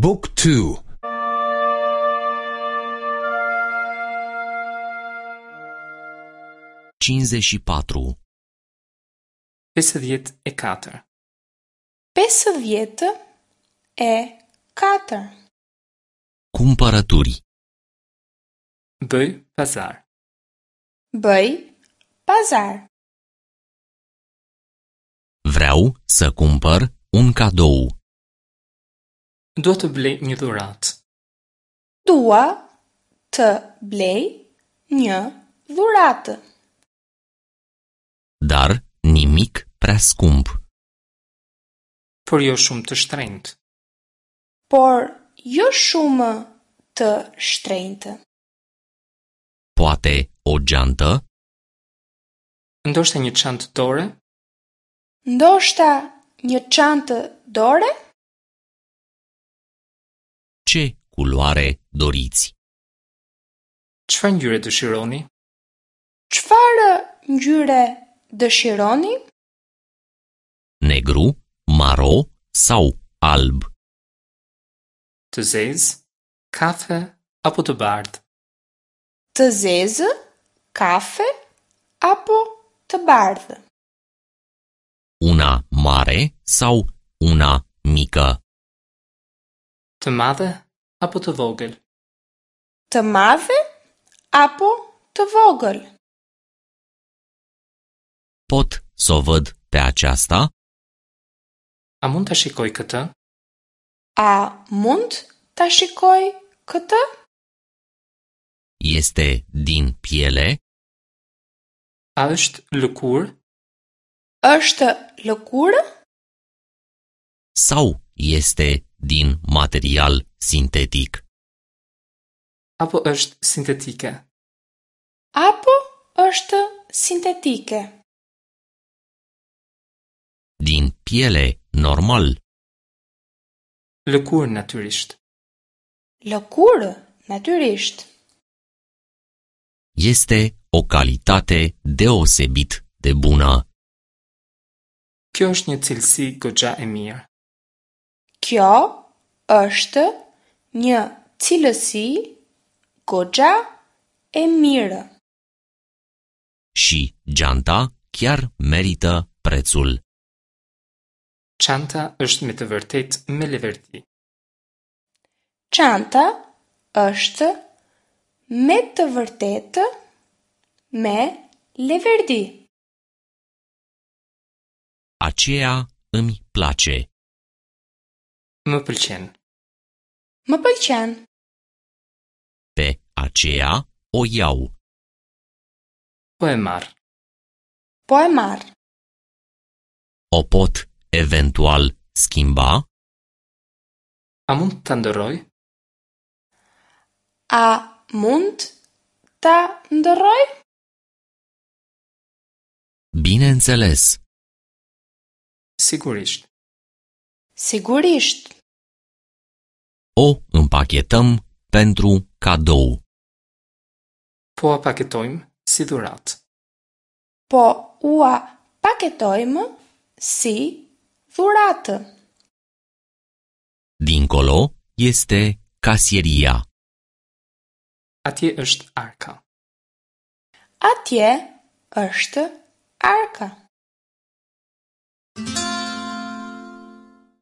บุ๊กทู 54. 54. 54. Cumpărături. Bëj pazar. Bëj pazar. Vreau să cumpăr un cadou. Dua të blej një dhuratë. Dua të blej një dhuratë. Dar nimic prea scump. Por jo shumë të shtrenjtë. Por jo shumë të shtrenjtë. Poate o geantă? Ndoshta një çantë dore? Ndoshta një çantë dore? Ce culoare doriți? Çfarë ngjyre dëshironi? Çfarë ngjyre dëshironi? Negru, maro sau alb? Të zezë, kafe apo të bardhë? Të zezë, kafe apo të bardhë? Una mare sau una mică? Të madhe apo të vogël? Të madhe apo të vogël? Pot să o văd pe aceasta? A mund ta shikoj këtë? A mund ta shikoj këtë? Este din piele? A është lëkurë? Është lëkurë? Sau este din material sintetic? Apo është sintetike? Apo është sintetike? Din piele normal. Lëkurë natyrisht. Lëkurë, natyrisht. Este o calitate deosebit de bună. Kjo është një cilësi goxha e mirë. Kjo është një cilësi goxha e mirë. Și geanta chiar merită prețul. Çanta është me të vërtetë me leverdi. Çanta është me të vërtetë me leverdi. Aceea îmi place. Më pëlqen. Më pëlqen. Pe aceea o iau. Po e marr. Po e marr. O pot eventual schimba? A mund ta ndërroj? A mund ta ndërroj? Bineînțeles. Sigurisht. Sigurisht. O împachetăm pentru cadou. Po a paketojmë si dhuratë. Po ua paketojmë si dhuratë. Dincolo este casieria. Atje është arka. Atje është arka.